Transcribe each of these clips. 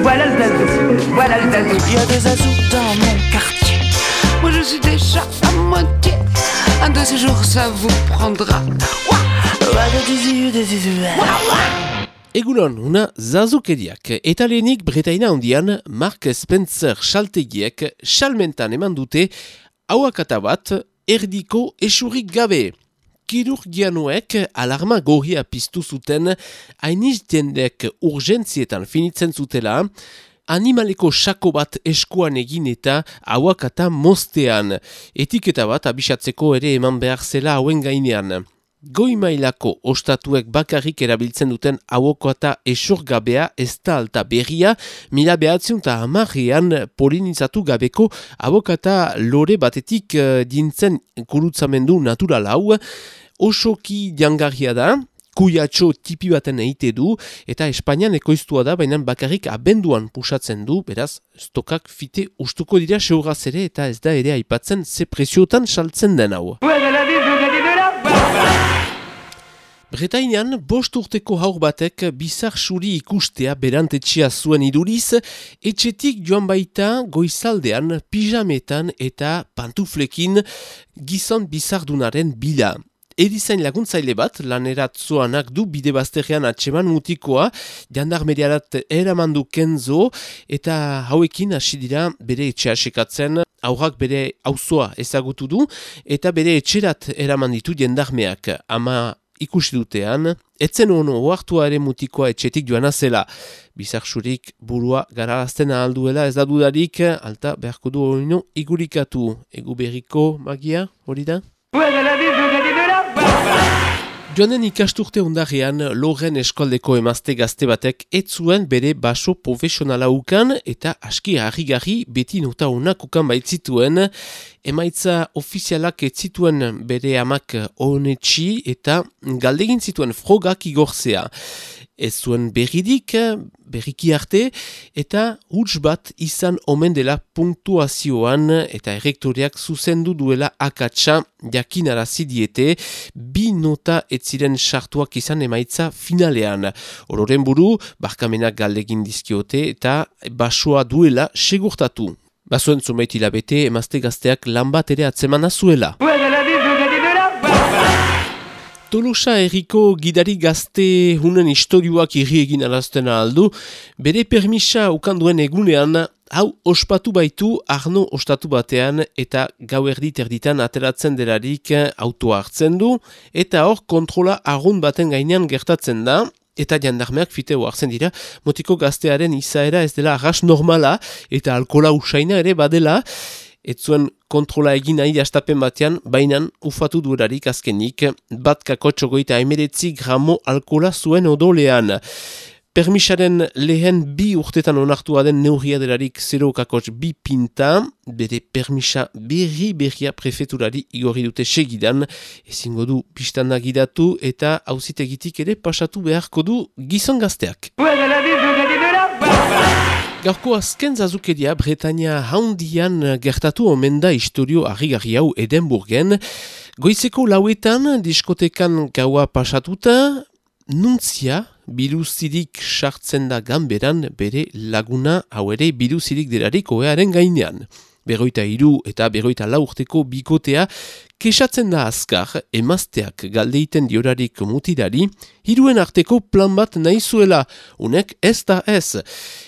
voilà le zazou, voilà le zazou. Il y a des zazous dans mon quartier. Moi je suis déjà à moitié. Un de ces jours ça vous prendra. Egunon, una zazukeriak. Eta lehenik Bretaina handian Mark Spencer saltegiek salmentan eman dute auakata bat erdiko esurik gabe. Kirurgianoek alarma gorria piztu zuten hainiz jendek urgentzietan finitzen zutela, animaleko sako bat eskuan egin eta auakata moztean. Etiketa bat abisatzeko ere eman behar zela hauen gainean. Goi mailako ostatuek bakarrik erabiltzen duten auakata esurgabea ez da alta berria, 1910 polinizatu gabeko auakata lore batetik dintzen gurutzamendu natural hau, osoki jangarria da, kuiatxo tipi baten eite du, eta Espainian ekoiztua da, baina bakarrik abenduan pusatzen du, beraz, stokak fite ustuko dira seuraz ere, eta ez da ere aipatzen ze preziotan saltzen den hau. Bretainian, 5 urteko haur batek bizar suri ikustea berantetxea zuen iduriz, etxetik joan baita goizaldean, pijametan eta pantuflekin gizon bizardunaren bila. Erizain laguntzaile bat, laneratzoanak du bide bazterrean atseman mutikoa, jandarmeriarat eramandu Kenzo, eta hauekin hasi dira bere etxea sekatzen, aurrak bere auzoa ezagutu du, eta bere etxerat eraman ditu jandarmeak. Ama ikusi dutean, etzen ono oartua ere mutikoa etxetik joana zela. Bizarsurik burua gararazten ahalduela ez da dudarik, alta beharko du horino igurikatu. Egu berriko magia, hori da? Joanen ikasturte ondarean, Loren eskoldeko emazte gazte batek ez zuen bere baso profesionala ukan eta aski harrigarri beti nota onak ukan baitzituen, emaitza ofizialak ez zituen bere amak honetxi eta galdegin zituen frogak igorzea. Ez zuen berriki arte, eta huts bat izan omen dela punktuazioan eta errektoreak zuzendu duela akatsa jakinarazi diete, 2 nota ez ziren sartuak izan emaitza finalean. Ororen buru, barkamenak galdegin dizkiote eta basoa duela segurtatu. Basoen zumeit hilabete, emazte gazteak lan bat ere atzemana zuela. Tolosa herriko gidari gazte hunen istorioak irri egin alazten aldu, bere permisa ukanduen egunean, hau ospatu baitu Arno ostatu batean eta gau erditan ateratzen delarik autoa hartzen du, eta hor kontrola argun baten gainean gertatzen da, eta jandarmeak fiteo hartzen dira, motiko gaztearen izaera ez dela arras normala, eta alkola usaina ere badela, ez zuen kontrola egin nahi astapen batean, bainan ufatu duerarik azkenik, bat kakotxo goita 19 gramo alkola zuen odolean. Permisaren lehen 2 urtetan onartua den neurria delarik 0,2 pinta, bere permisa berria prefeturari igorri dute segidan, ezingo du pistanda gidatu eta auzitegitik ere pasatu beharko du gizon gazteak. Gaurko azken zazukeria Bretaina handian gertatu omen da historio harrigarri hau Edinburgen. Goizeko 4 diskotekan gaua pasatuta, Nuntzia biluzirik sartzen da ganberan bere laguna hau ere biluzirik delarik oearen gainean. 43 eta 44 urteko bikotea kesatzen da azkar emazteak galdeiten diorarik mutirari, hiruen arteko plan bat nahi zuela, unek ez da ez.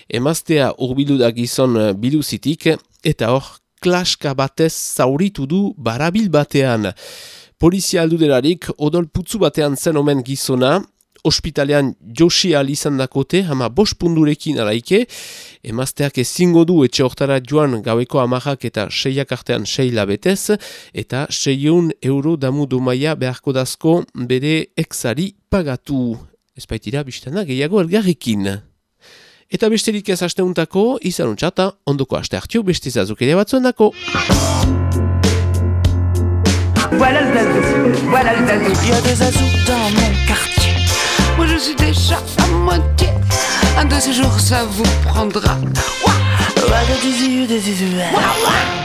Emaztea hurbildu da gizon biluzitik eta hor klaska batez zauritu du barabil batean. Polizia aldu delarik odol putzu batean zen omen gizona, ospitalean josi izan dakote, ama 5 pundurekin alaike, emazteak ezingo du etxe hortara joan gaueko 10 eta 6 artean 6 labetez, eta 600 euro damu domaia beharko dazko bere exari pagatu. Ez baitira biztana gehiago elgarrekin. Eta besterik ez asteuntako, izan untsata, ondoko aste hartio beste zazukeria batzuen dako. Voilà le zazou, voilà le zazou. Il y a des zazous dans mon quartier. Moi je suis déjà à moitié. Un de ces jours ça vous prendra. Ouah, ouah, ouah.